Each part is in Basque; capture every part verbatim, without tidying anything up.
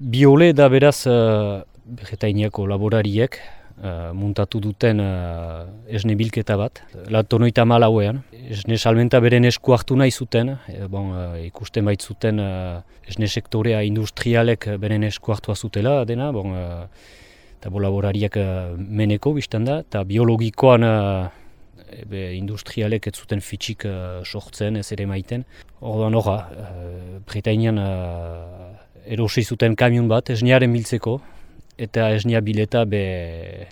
Biole da beraz uh, Bretainiako laborariek uh, muntatu duten uh, esne bilketa bat. Latonoita malauean. Esne salmenta beren esku hartu nahi zuten. E, bon, uh, ikusten baitzuten uh, esne sektorea industrialek beren esku hartua zutela dena. Bon, uh, eta bo laborariak uh, meneko biztan da. Eta biologikoan uh, ebe, industrialek ez zuten fitxik uh, sortzen, ez ere maiten. Orduan horra, uh, Bretainian uh, erosi zuten kamion bat esnearen biltzeko, eta esnea bileta be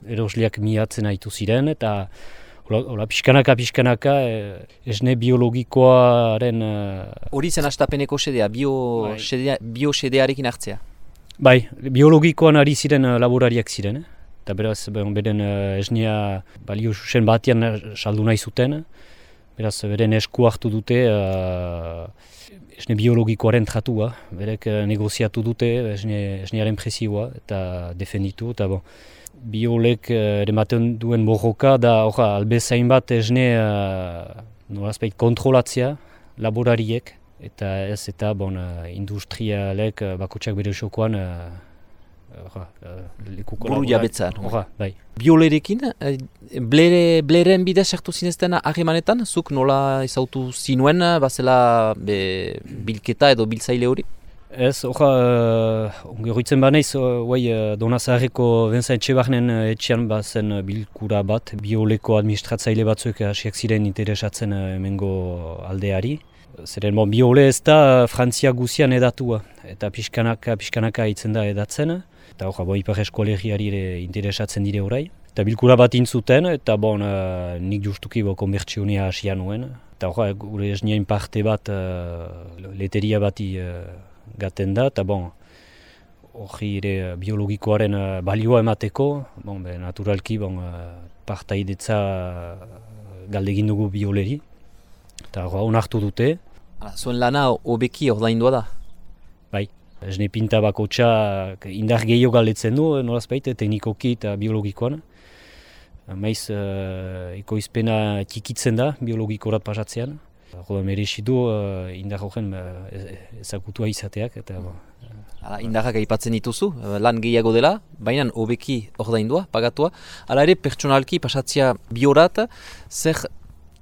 erosliak miatzen haitu ziren, eta hola pixkanaka pixkanaka esne biologikoaren... Hori zen astapeneko sedea, bio, bai. sedea, bio sedearekin hartzea? Bai, biologikoan ari ziren laborariak ziren, eta beraz beren esnea balio zuzen batean saldu nahi zuten, beraz beren esku hartu dute uh, esne biologikoaren tratua, berek negoziatu dute esne, esnearen prezioa eta defenditu, eta bon, biolek ematen duen borroka da orra, albezain bat esne uh, nolazpait kontrolatzea laborariek, eta ez eta bon, uh, industrialek uh, bakotxak bere jokoan uh, buru jabetzan. Bai. Biolerekin, blere, bleren bidez sartu zinezten harremanetan, zuk nola ezautu zinuen, bazela be, bilketa edo biltzaile hori? Ez, horra, uh, ongeritzen banaiz, uh, Donazaharreko Vincent Etxebarnen etxean bazen bilkura bat, bioleko administratzaile batzuek hasiak ziren interesatzen uh, hemengo aldeari. Zeren, bon, biole ez da Frantzia guzian edatua, eta pixkanaka, pixkanaka hitzen da edatzen. Eta hor, bo, Ipar Eskolegiari ere interesatzen dire orai. Eta bilkura bat intzuten, eta bon, uh, nik justuki bo konbertsionia hasia nuen. Eta hor, gure esnien parte bat uh, leteria bati uh, gaten da, eta bon, hori ere biologikoaren uh, balioa emateko, bon, be, naturalki bon, uh, partaidetza uh, galdegin dugu bioleri. Eta hor, onartu dute. Hala, zuen lana hobeki ordaindua da? Bai. Esne pinta bakotxa indar gehiago galdetzen du, nolazpait, teknikoki eta biologikoan. Maiz, uh, ekoizpena txikitzen da biologikorat pasatzean. Roda merezi du uh, indar horren uh, ezagutua izateak. Eta, uh, Hala, indarrak aipatzen dituzu, lan gehiago dela, baina hobeki ordaindua, pagatua. Hala ere, pertsonalki pasatzea biorat, zer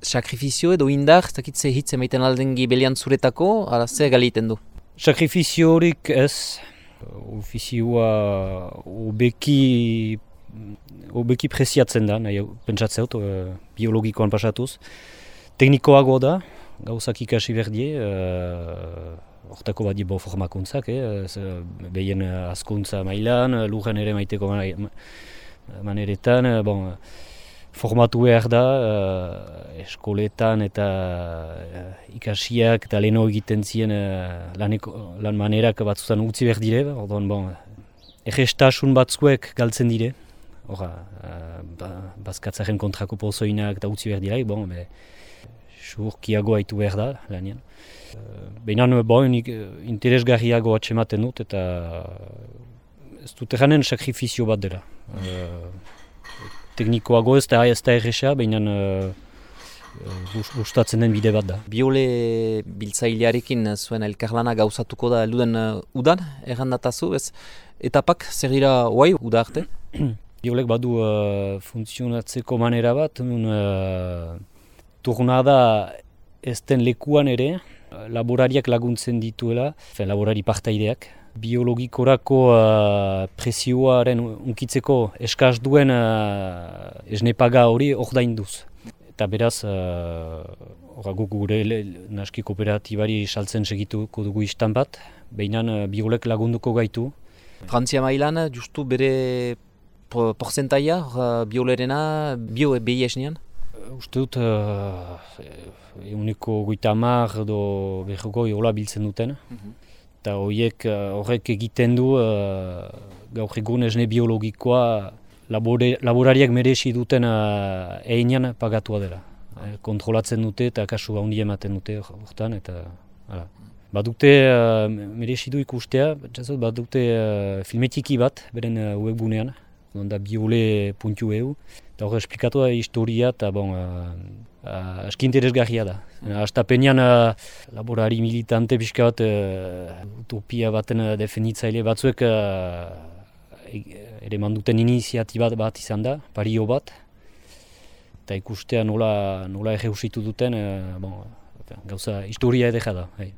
sakrifizio edo indar, ez dakit ze hitz emaiten alden gibelian zuretako, ala zer galiten du? Sakrifizio horik ez, ofizioa hobeki hobeki preziatzen da, nahi pentsatzen dut, uh, biologikoan pasatuz. Teknikoago da, gauzak ikasi berdie, uh, hortako bat dibo formakuntzak, eh? Behien askuntza mailan, lurren ere maiteko maneretan, bon, formatu behar da, uh, eskoletan eta uh, ikasiak eta leheno egiten ziren uh, laneko, lan manerak batzutan utzi behar dire, orduan, bon, egestasun batzuek galtzen dire, orra, uh, ba, bazkatzaren kontrako pozoinak eta utzi behar dira, bon, be, surkiago haitu behar da, lanean. Uh, Behinan, bon, interesgarriago atxematen dut eta ez dut eranen sakrifizio bat dela. Uh, Teknikoago ez da ez da erresa, baina uh, gustatzen den bide bat da. Biole biltzailearekin zuen elkarlana gauzatuko da elduden uh, udan, errandatazu, ez? Etapak zer dira oai, uda arte? Biolek badu uh, funtzionatzeko manera bat, nun uh, turnada ez den lekuan ere, laborariak laguntzen dituela, fen, laborari partaideak. Biologikorako uh, presioaren unkitzeko eskaz duen uh, esnepaga hori ordainduz. Eta beraz, uh, guk gure naski kooperatibari saltzen segituko dugu istan bat, behinan uh, biolek lagunduko gaitu. Frantzia mailan, justu bere porzentaia uh, biolerena, bio behi esnean? Uh, uste dut, uh, euneko goita hamar edo berrogoi hola biltzen duten. Mm-hmm. Eta horiek horrek egiten du uh, gaur egun esne biologikoa labore, laborariak merezi duten uh, einean pagatua dela. Eh, kontrolatzen dute eta kasu handi ematen dute hortan eta hala. Badute uh, merezi du ikustea, badute uh, filmetiki bat beren uh, webgunean, da biole puntu eu, eta hor esplikatu da historia, eta bon, uh, uh, aski interesgarria da. Astapenean uh, laborari militante pixka bat uh, utopia baten uh, defenditzaile batzuek uh, ere manduten iniziatiba bat izan da, pario bat, eta ikustea nola, nola erreusitu duten, uh, bon, gauza historia edera da. Hey.